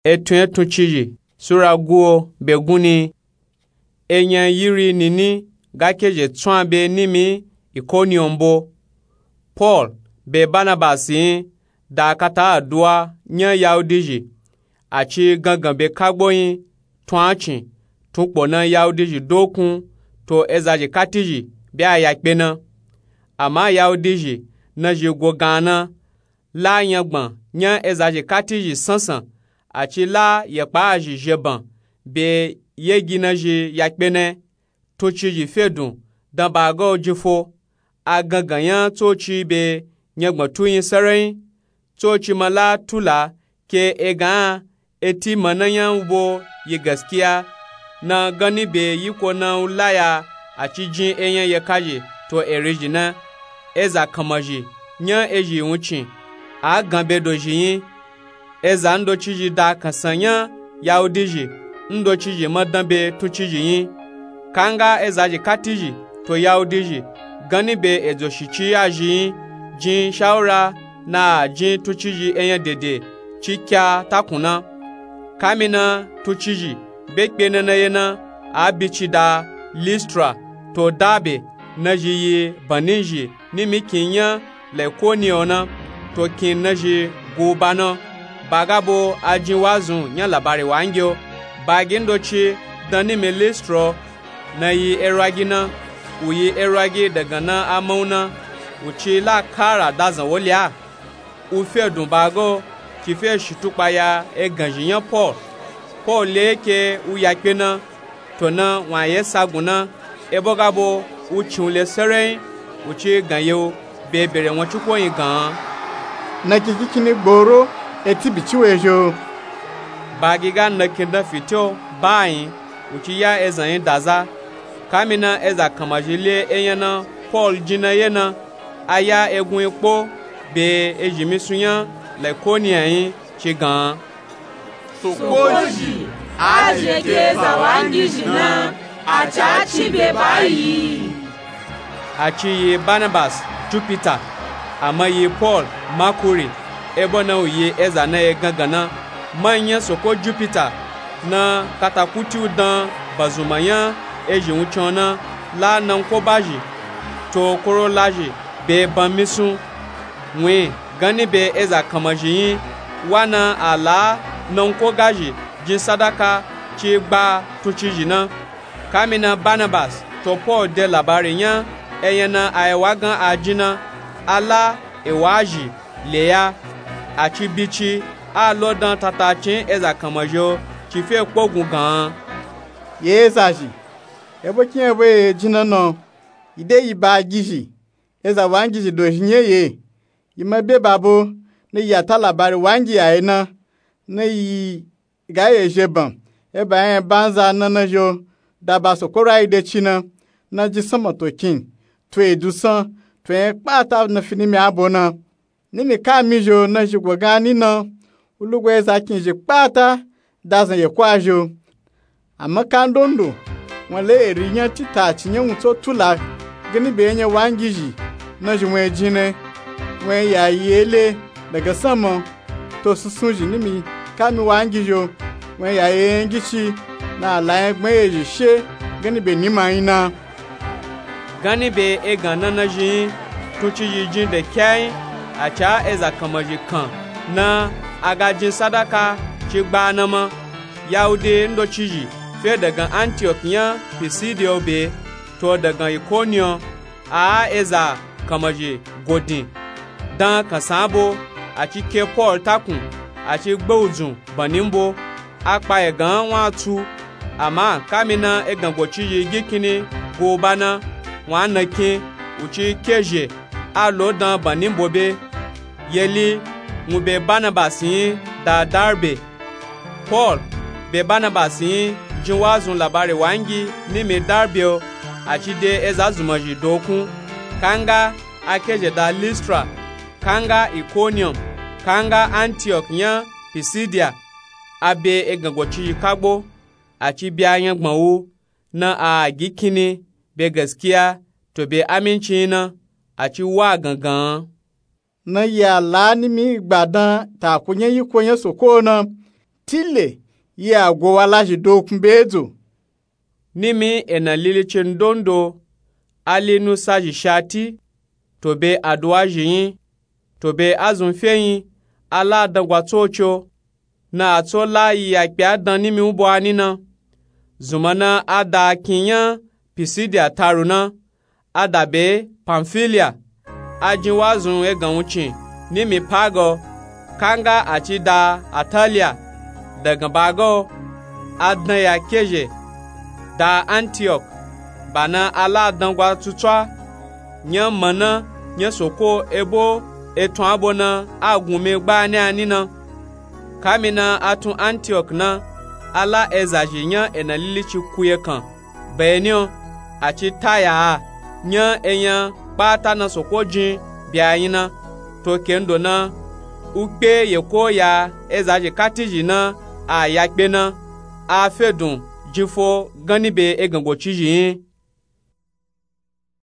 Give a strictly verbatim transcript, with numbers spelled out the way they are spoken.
Etun etun cizhi sura guo be gunni. Enyan yiri nini ga kezhe tsun a be nimi ikoniyon bo. Paul be banabasi yin da kata aduwa nyan yahudizhi. A ci gangan be kagbo yin tun a cin tun kpo na yahudizhi dokun to ezazhi katizhi be a yakpe na. Ama yahudizhi nazhi go gan na la nyangban nyan ezazhi katizhi sansan. A ci la yekpa azhi zheban be yegi nazhi yakpe na. Tun cizhi fedun dan baga o jin fo. A gangan nya tsoci be nyangban tu yin sarayin. Tsoci ma la tula ke egan a eti ma na nya u bo yi gaskiya na ganni be yiko na u laya. A ci jin enyan yekazhi to erizhi na eza kanmazhi nyan ezhi wuncin a gan be dozhi yin. Eza ndocizhi da kansan nyan yahudizhi ndocizhi ma dan be tun cizhi yin. Kanga ezazhi katizhi to yahudizhi ganni be edzo shici azhi yin jin shawura na a jin tun cizhi enyan dede ci kya takun na. Kamina tun cizhi be kpe na na ye na a bici da listra to dabe nazhi yi banizhi nimi kin nyan laikoniyo na to kin nazhi guba na. Baga bo a jin wazun nyan labari wangi o. Bagi ndoci dan nimi listra na yi erwagi na u yi erwagi dagan na a man u na u ci la kara dazan woli a. U fedun baga o ci fe shitukpa ya eganzhi nyan paul. Paul le ke u yakpe na to na wun a ye sagun na. Ebo ga bo u cin u le sarayin u ci gan ye u be bere won ci ko yin gan. Na kiki kini gboro eti bici we zhi o. Bagi ga na kin dan fiti o ba yin u ci ya ezan yin daza. Kamina eza kanmazhi le enyan na paul jin na ye na a ya egun yin kpo be ezhi misun nyan laikoniya yin ci gan. Soko zhi a je ke eza wangizhi na a ca ci be bayi. A ci yi banabas jupita ama yi paul makuri. Ebo na u yi eza na ye gangan na manyan soko jupita na katakuti u dan bazunma nyan ezhi wuncin o na la nanko bazhi to korolazhi be ban misun. Wun ganni be eza kanmazhi yin wa na a la nanko gazhi jin sadaka ci gba tun cizhi na. Kamina banabas to paul de labari nyan enyan na a ewa gan a jin na a la ewa azhi le ya. A ci bici a lo dan tatacin eza kanmazhi o ci fe kpogun gan. Ye ezazhi ebo kin ebo ye jin na na o. Yi de yi bagizhi eza wangizhi dozhi nyan ye. Yi ma be babo na yi a ta labari wangi ya ye na na yi ga ye zheban eba nya banza na na zhi o. Da ba soko rayi de ci na na jin sanma to kin to edusan to nya kpata na fi nimi abo na. Nimi ka mi zhi o na zhi go gan ni na u lugo eza kin zhi kpata dazan ye ko a zhi o. Ama kandondo won le eri nyan titaci nyan wun tso tula ganni be enyan wangizhi na zhi won ejin na won ya yi ele dagan sanma. To sunsun zhi nimi ka mi wangizhi o won ya yi enyan gici na a la nya gban ye zhi she ganni be nima yin na. Ganni be egan na na zhi yin tun cizhi jin de kya yin. A ca eza kanmazhi kan na a ga jin sadaka ci gba na ma. Yahudi ndocizhi fe dagan antiok nyan pisidiya o be to dagan ikoniyon a a eza kanmazhi godin dan kansan abo. A ci ke paul takun a ci gbe udzun banni mbo a kpa egan wun a tsu. Ama kamina egan gocizhi gikinni go ba na wun a na kin u ci kezhe a lo dan banni mbo be. Yeli wun be banabas yin da darbe. Paul be banabas yin jin wazun labari wangi nimi darbe o. A ci de eza zunmazhi dokun kanga a kezhe da listra kanga ikoniyom kanga antiok nyan pisidiya. A be egan gocizhi kagbo a ci bi a nyangban wu na a gi kinni be gaskiya to be aminci yin na a ci wa gangan. Na yi a la nimi gba dan taku nyan yiko nyan soko na tile ye a go wa lazhi dokun be edzo. Nimi ena lilici ndondo, ali nusa zhi shati, to be aduwa zhi nyi, to be azun fe nyi, a la dangwa tsoco, na a tso la yi yakpe a dan nimi u bo a ni na. Zunma na a da akin nya Pisidiya taru na, a da be Pamfiliya, a jin wazun egan wuncin nimi Pago, kanga a ci da Ataliya, dagan bago a dan ya kezhe da Antiyok, ba na a la dangwa tsutswa nya mana nya Soko, ebo etun a bo na a gunmi gbani a ni na. Kami na a tun Antiyok na, a la eza zhi nya ena lilici kuye kan beni o, a ci taya a nya enya kpata na Soko jin bya nyi na. To kendo na, u kpe ye ko ya eza zhi kati zhi na a ya kpe na, a fe dun jin fo ganni be egan goci zhi nyi.